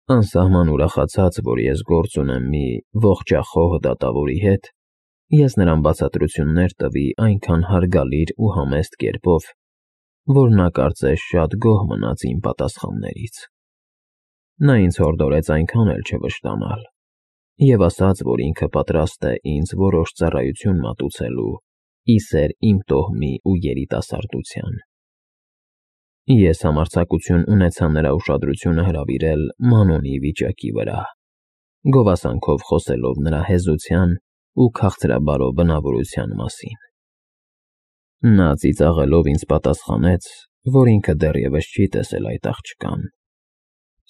Անսահման ուրախացած, որ ես գործ ունեմ մի ողջախոհ դատավորի հետ, ես նրան բացատրություններ տվի այնքան հարգալից ու համեստ կերպով, որ նա կարծես շատ գոհ մնաց իմ պատասխաններից։ Նա ինձ հորդորեց այնքան էլ չվշտանալ և ասաց, որ ինքը պատրաստ է ինձ որոշ ծառայություն մատուցելու ի սեր իմ տոհմի ու երիտասարդության։ Ես համարձակություն ունեցա նրա ուշադրությունը հրավիրել Մանոնի վիճակի վրա, գովասանքով խոսելով նրա հեզության ու քաղցրաբարո բնավորության մասին։ Նա ծիծաղելով ինձ պատասխանեց, որ ինքը դեռևս չի տեսել այդ աղջկան,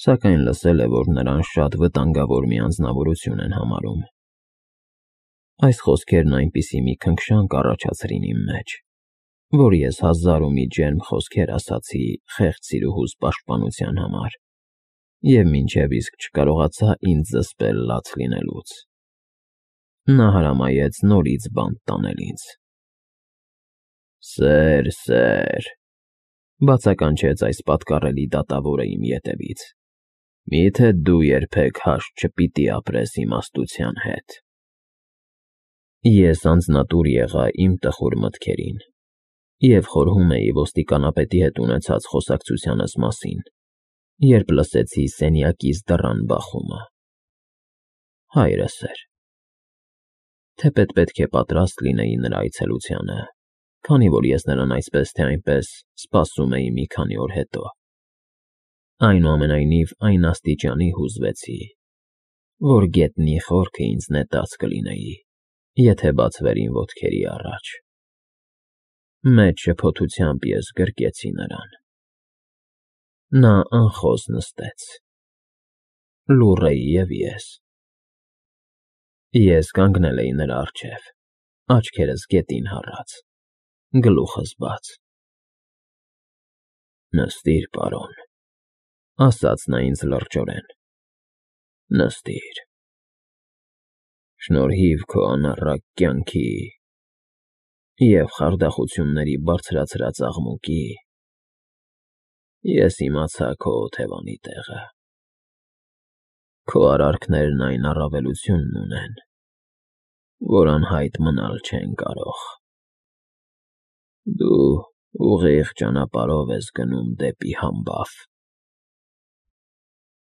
սակայն լսել է, որ նրան շատ վտանգավոր մի անձնավորություն են համարում։ Այս խոսքերն այնպիսի մի քնքշանք առաջացրին իմ մեջ, որ ես հազար ու մի ջերմ խոսքեր ասացի խեղճ սիրուհուս պաշտպանության համար և մինչև իսկ չկարողացա ինձ զսպել լաց լինելուց։ Նա հրամայեց նորից բանտ տանել ինձ։ Սեր, բացականչեց այս պատկառելի դատավորը իմ ետևից, միթե դու երբեք հաշտ չպիտի ապրես իմաստության հետ։ Ես անձնատուր եղա իմ տխուր մտքերին և խորհում էի ոստիկանապետի հետ ունեցած խոսակցությանս մասին, երբ լսեցի սենյակիս դռան բախումը։ Հայրս էր։ Թեպետ պետք է պատրաստ լինեի նրա այցելությանը, քանի որ ես նրան այսպես թե այնպես սպասում էի մի քանի օր հետո։ Այնուամենայնիվ այն աստիճանի հուզվեցի, որ գետնի խորքը ինձ նետած կլինեի, եթե բացվերին ոտքերի առաջ։ Մեծ շփոթությամբ ես գրկեցի նրան։ Նա անխոս նստեց։ Լուռ էի և ես։ Ես կանգնել էի նրա առջև, աչքերս գետին հառած, գլուխս բաց։ Նստիր, պարոն, ասաց նա ինձ լրջորեն, նստիր։ Շնորհիվ քո անառակ կյանքի և խարդախությունների բարձրացրած աղմուկի, ես իմացա քո օթևանի տեղը։ Քո արարքներն այն առավելությունն ունեն, որ անհայտ մնալ չեն կարող։ Դու ուղիղ ճանապարհով ես գնում դեպի համբավ։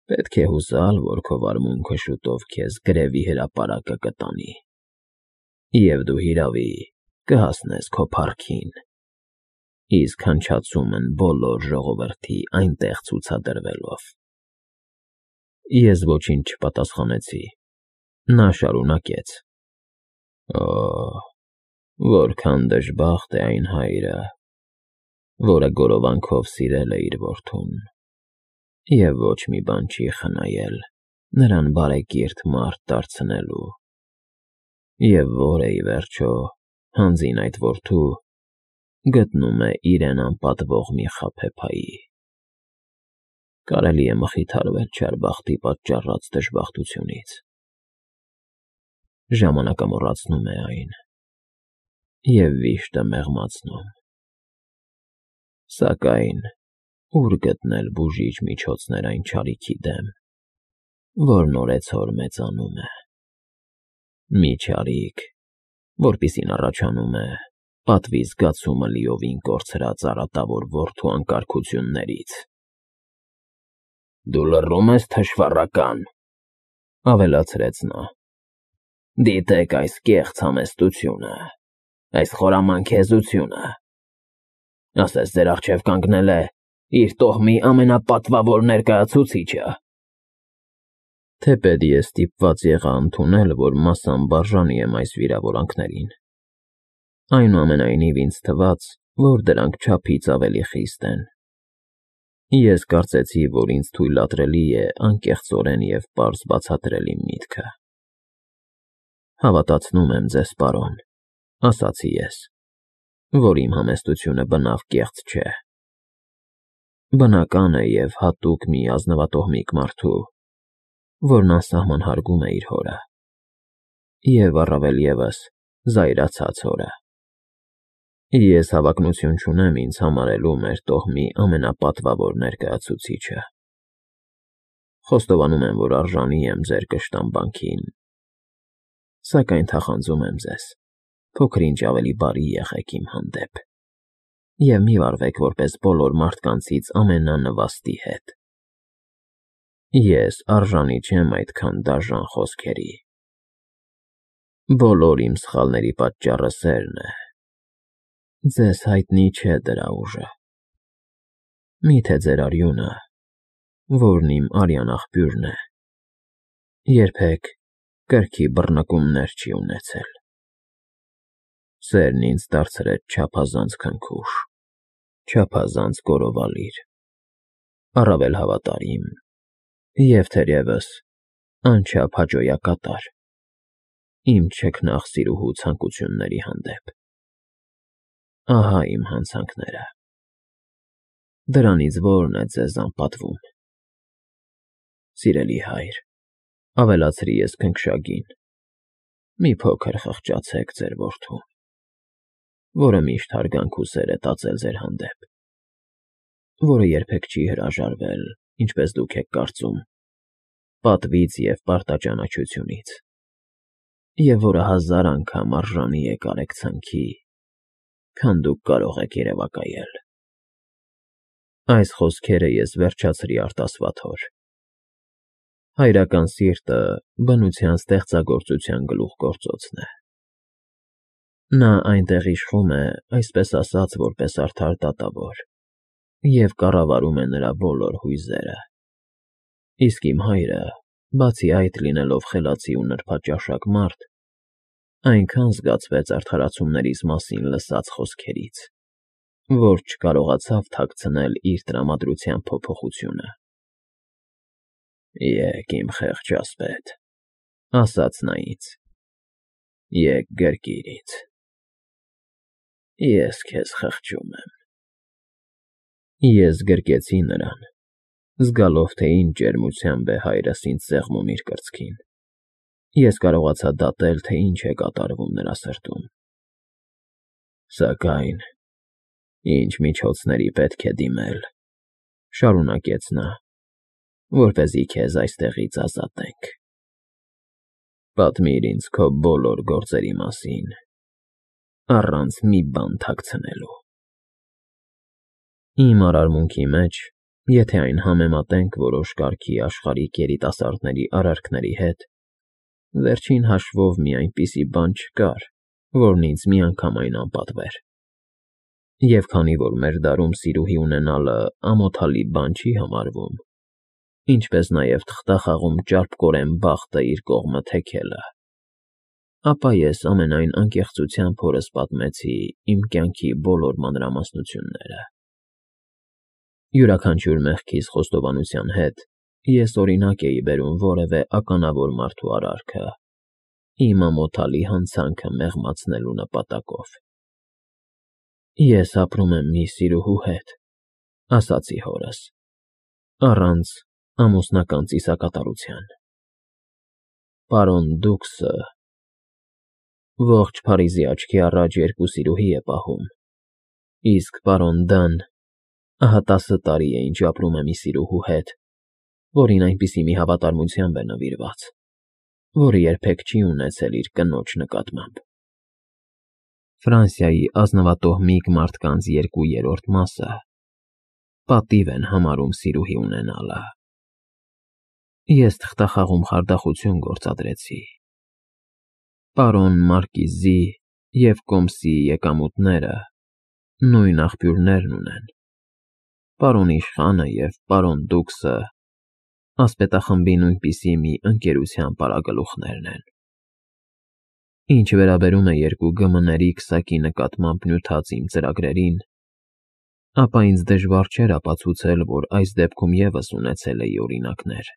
Պետք է հուսալ, որ քո վարմունքը շուտով քեզ գրևի հրապարակը կտանի, և դու հիրավի կհասնես քո փառքին, իսկ հնչացումն բոլոր ժողովրդի այնտեղ ցուցադրվելով։ Ես ոչինչ չպատասխանեցի։ Նա շարունակեց. Օ, որքան դժբախտ է այն հայրը, որը գորովանքով սիրել է իր որդուն և ոչ մի բան չի խնայել նրան բարեկիրթ մարդ դարձնելու, և որը, ի վերջո, հանձին այդ որդու, գտնում է իրեն անպատվող մի խաբեբայի։ Կարելի է մխիթարվել չար բախտի պատճառած դժբախտությունից։ Ժամանակը մոռացնում է այն, և վիշտը մեղմացնում։ Սակայն ուր գտնել բուժիչ միջոցներ այն չարիքի դեմ, որն օրեցօր մեծանում է։ Մի չարիք, որպիսին առաջանում է պատվի զգացումը լիովին կորցրած արատավոր որդու անկարգություններից։ Դու լռում ես, թշվառական, ավելացրեց նա։ Դիտեք այս կեղծ համեստությունը, այս խորամանկ հեզությունը։ Ասես ձեր առջև կանգնել է իր տոհմի ամենապատվավոր ներկայացուցիչը։ Թեպետ ես ստիպված եղա ընդունել, որ մասամբ արժանի եմ այս վիրավորանքներին, այնուամենայնիվ ինձ թվաց, որ դրանք չափից ավելի խիստ են։ Ես կարծեցի, որ ինձ թույլատրելի է անկեղծորեն և պարզ բացատրել իմ միտքը։ Հավատացնում եմ ձեզ, պարոն, ասացի ես, որ իմ համեստությունը բնավ կեղծ չէ։ Բնական է և հատուկ մի ազնվատոհմիկ մարդու, որն անսահման հարգում է իր հորը, և առավել ևս զայրացած հորը։ Ես հավակնություն չունեմ ինձ համարելու մեր տոհմի ամենապատվավոր ներկայացուցիչը։ Խոստովանում եմ, որ արժանի եմ ձեր կշտամբանքին, սակայն թախանձում եմ ձեզ, փոքր-ինչ ավելի բարի եղեք իմ հանդեպ և մի վարվեք որպես բոլոր մարդկանցից ամենանվաստի հետ։ Ես արժանի չեմ այդքան դաժան խոսքերի։ Բոլոր իմ սխալների պատճառը սերն է։ Ձեզ հայտնի չէ դրա ուժը։ Միթե ձեր արյունը, որն իմ արյան աղբյուրն է, երբեք կրքի բռնկումներ չի ունեցել։ Սերն ինձ դարձրեց չափազանց քնքուշ, չափազանց գովալիր, առավել հավատարիմ և թերևս անչափ հաճոյակատար իմ չքնաղ սիրուհու ցանկությունների հանդեպ։ Ահա իմ հանցանքները։ Դրանից որն է ձեզ անպատվում։ Սիրելի հայր, ավելացրի ես քնքշագին, մի փոքր խղճացեք ձեր որդուն, որը միշտ հարգանք ու սեր է տածել ձեր հանդեպ, որը երբեք չի հրաժարվել, ինչպես դուք եք կարծում, պատվից և պարտաճանաչությունից, և որը 1000 անգամ արժանի է կարեկցանքի, քան դուք կարող եք երևակայել։ Այս խոսքերը ես վերջացրի արտասվաթոր։ Հայրական սիրտը բնության ստեղծագործության գլուխգործոցն է։ Նա այնտեղ իշխում է, այսպես ասած, որպես արդար դատավոր և կառավարում է նրա բոլոր հույզերը։ Իսկ իմ հայրը, բացի այդ լինելով խելացի ու նրբաճաշակ մարդ, այնքան զգացվեց արդարացումներիս մասին լսած խոսքերից, որ չկարողացավ թաքցնել իր տրամադրության փոփոխությունը։ Եկ, իմ խեղճ ասպետ, ասաց նա ինձ, եկ գրկիր ինձ, ես քեզ խղճում եմ։ Ես գրկեցի նրան, զգալով, թե ինչ ջերմությամբ է հայրս ինձ սեղմում իր կրծքին։ Ես կարողացա դատել, թե ինչ է կատարվում նրա սրտում։ Սակայն ինչ միջոցների պետք է դիմել, շարունակեց նա, որպեսզի քեզ այստեղից ազատենք։ Պատմիր ինձ քո բոլոր գործերի մասին, առանց մի բան թաքցնելու։ Իմ արարմունքի մեջ, եթե այն համեմատենք որոշ կարգի աշխարհիկ երիտասարդների արարքների հետ, վերջին հաշվով մի այնպիսի բան չկար, որն ինձ միանգամայն անպատվեր։ Եվ քանի որ մեր դարում սիրուհի ունենալը ամոթալի բան չի համարվում, ինչպես նաև թղթախաղում ճարպկորեն բախտը իր կողմը թեքելը, ապա ես ամենայն անկեղծությամբ հորս պատմեցի իմ կյանքի բոլոր մանրամասնությունները։ Յուրաքանչյուր մեղքիս խոստովանության հետ ես օրինակ էի բերում որևէ ականավոր մարդու արարքը, իմ ամոթալի հանցանքը մեղմացնելու նպատակով։ Ես ապրում եմ մի սիրուհու հետ, ասացի հորս, առանց ամուսնական ծիսակատարության։ Պարոն Դուքսը ողջ Փարիզի աչքի առաջ 2 սիրուհի է պահում, իսկ պարոն Դան ահա 10 տարի է, ինչ ապրում է մի սիրուհու հետ, որին այնպիսի մի հավատարմությամբ է նվիրված, որը երբեք չի ունեցել իր կնոջ նկատմամբ։ Ֆրանսիայի ազնվատոհմիկ մարդկանց 2/3 մասը պատիվ են համարում սիրուհի ունենալը։ Ես թղթախաղում խարդախություն գործադրեցի։ Պարոն Մարկիզի և Կոմսի եկամուտները նույն աղբյուրներն ունեն։ Պարոն Իշխանը և պարոն Դուքսը ասպետախմբի նույնպիսի մի ընկերության պարագլուխներն են։ Ինչ վերաբերում է 2 ԳՄ-ների քսակի նկատմամբ նյութած իմ ծրագրերին, ապա ինձ դժվար չէր ապացուցել, որ այս դեպքում ևս ունեցել էի օրինակներ։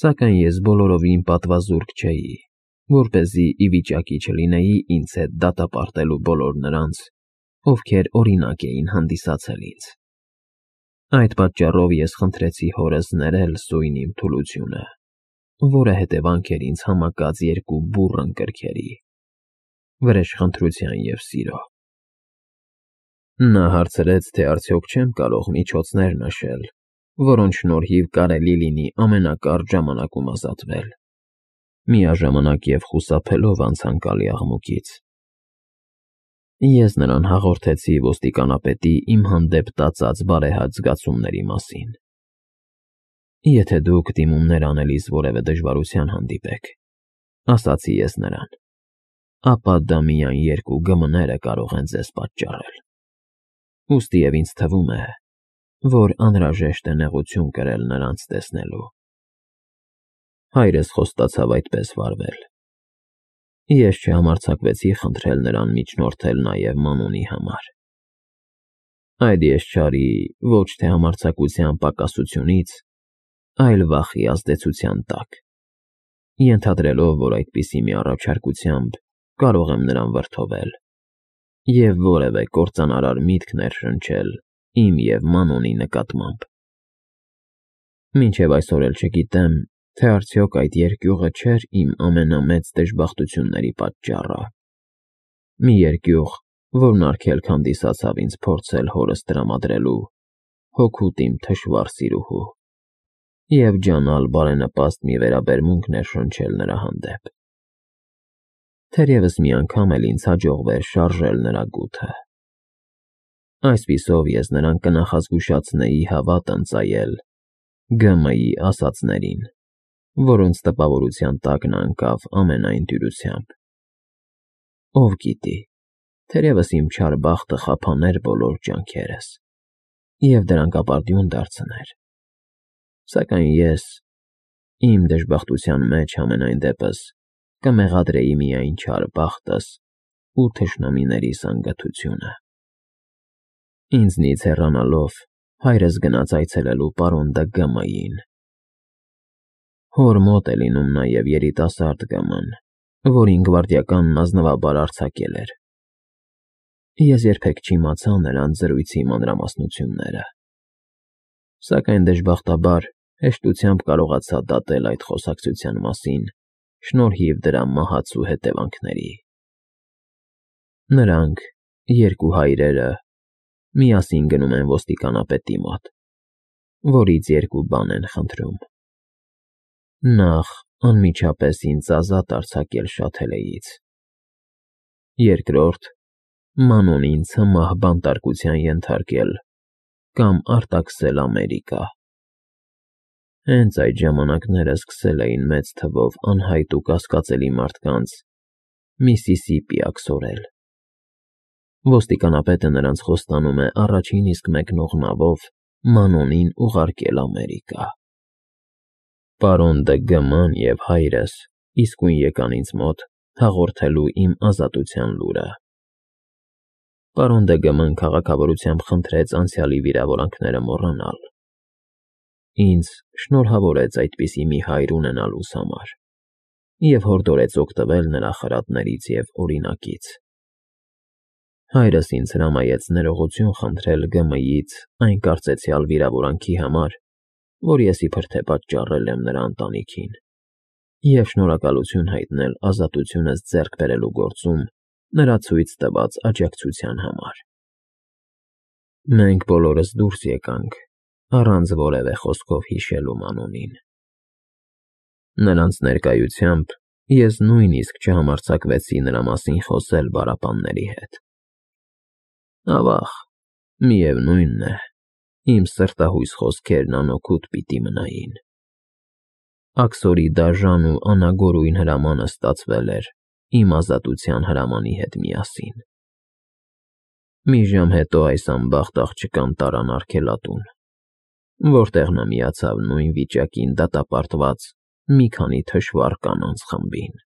Սակայն ես բոլորովին պատվազուրկ չէի, որպեսզի ի վիճակի չլինեի ինձ հետ դատապարտելու բոլոր նրանց, ովքեր օրինակ էին հանդիսացել ինձ։ Այդ պատճառով ես խնդրեցի հորս ներել սույն իմ թուլությունը, որը հետևանք էր ինձ համակած 2 բուռն կրքերի՝ վրեժխնդրության և սիրո։ Նա հարցրեց, թե արդյոք չեմ կարող միջոցներ նշել, որոնց շնորհիվ կարելի լինի ամենակարճ ժամանակում ազատվել, միաժամանակ և խուսափելով անցանկալի աղմուկից։ Ես նրան հաղորդեցի ոստիկանապետի իմ հանդեպ տածած բարեհաճ զգացումների մասին։ Եթե դուք դիմումներ անելիս որևէ դժվարության հանդիպեք, ասացի ես նրան, ապա դա միայն 2 ԳՄ-ները կարող են ձեզ պատճառել։ Ուստի և ինձ թվում է, որ անհրաժեշտ է նեղություն կրել նրանց տեսնելու։ Հայրս խոստացավ այդպես վարվել։ Ես չհամարձակվեցի խնդրել նրան միջնորդել նաև Մանոնի համար։ Այդ ես չարի ոչ թե համարձակության պակասությունից, այլ վախի ազդեցության տակ, ենթադրելով, որ այդպիսի մի առաջարկությամբ կարող եմ նրան վրդովել և որևէ կործանարար միտք ներշնչել իմ և Մանոնի նկատմամբ։ Մինչև այսօր էլ չգիտեմ, թե արդյոք այդ երկյուղը չէր իմ ամենամեծ դժբախտությունների պատճառը։ Մի երկյուղ, որն արգելք հանդիսացավ ինձ փորձել հորս տրամադրելու հօգուտ իմ թշվառ սիրուհու և ջանալ բարենպաստ մի վերաբերմունք ներշնչել նրա հանդեպ։ Թերևս մի անգամ էլ ինձ հաջողվեր շարժել նրա գութը։ Այսպիսով ես նրան կնախազգուշացնեի հավատն ծայել ԳՄ-ի ասածներին, որոնց տպավորության տակ նա ընկավ ամենայն դյուրությամբ։ Ով գիտի, թերևս իմ չար բախտը խափաներ բոլոր ջանքերս և դրանք ապարդյուն դարձներ, սակայն ես, իմ դժբախտության մեջ համենայն դեպս, կմեղադրեի միայն չար բախտս ու թշնամիներիս անգթությունը։ Ինձնից հեռանալով, հայրս գնաց այցելելու պարոն Դ. ԳՄ-ին։ Հոր մոտ է լինում նաև երիտասարդ ԳՄ-ն, որին գվարդիականն ազնվաբար արձակել էր։ Ես երբեք չիմացա նրանց զրույցի մանրամասնությունները, սակայն դժբախտաբար հեշտությամբ կարողացա դատել այդ խոսակցության մասին շնորհիվ դրա մահացու հետևանքների։ Նրանք, 2 հայրերը, միասին գնում են ոստիկանապետի մոտ, որից 2 բան են խնդրում. Նախ, անմիջապես ինձ ազատ արձակել Շաթելեից, երկրորդ, Մանոնին ցմահ բանտարկության ենթարկել կամ արտաքսել Ամերիկա։ Հենց այդ ժամանակները սկսել էին մեծ թվով անհայտ ու կասկածելի մարդկանց Միսիսիպի աքսորել։ Ոստիկանապետը նրանց խոստանում է առաջին իսկ մեկնող նավով Մանոնին ուղարկել Ամերիկա։ Պարոն Դ. ԳՄ-ն և հայրս իսկույն եկան ինձ մոտ հաղորդելու իմ ազատության լուրը։ Պարոն Դ. ԳՄ-ն քաղաքավարությամբ խնդրեց անցյալի վիրավորանքները մոռանալ։ Ինձ շնորհավորեց այդպիսի մի հայր ունենալուս համար և հորդորեց օգտվել նրա խրատներից և օրինակից։ Հայրս ինձ հրամայեց ներողություն խնդրել ԳՄ-ից այն կարծեցյալ վիրավորանքի համար, որ ես իբրև թե պատճառել եմ նրա ընտանիքին, և շնորհակալություն հայտնել ազատությունս ձեռք բերելու գործում նրա ցույց տված աջակցության համար։ Մենք բոլորս դուրս եկանք, առանց որևէ խոսքով հիշելու Մանոնին։ Նրանց ներկայությամբ ես նույնիսկ չհամարձակվեցի նրա մասին խոսել պարապանների հետ։ Ավաղ, միևնույն է, իմ սրտահույս խոսքերն անօգուտ պիտի մնային։ Աքսորի դաժան ու անագորույն հրամանը ստացվել էր իմ ազատության հրամանի հետ միասին։ Մի ժամ հետո այս անբախտ աղջկան տարան արգելատուն, որտեղ նա միացավ նույն վիճակին դատապարտված մի քանի թշվառ կանանց խմբին։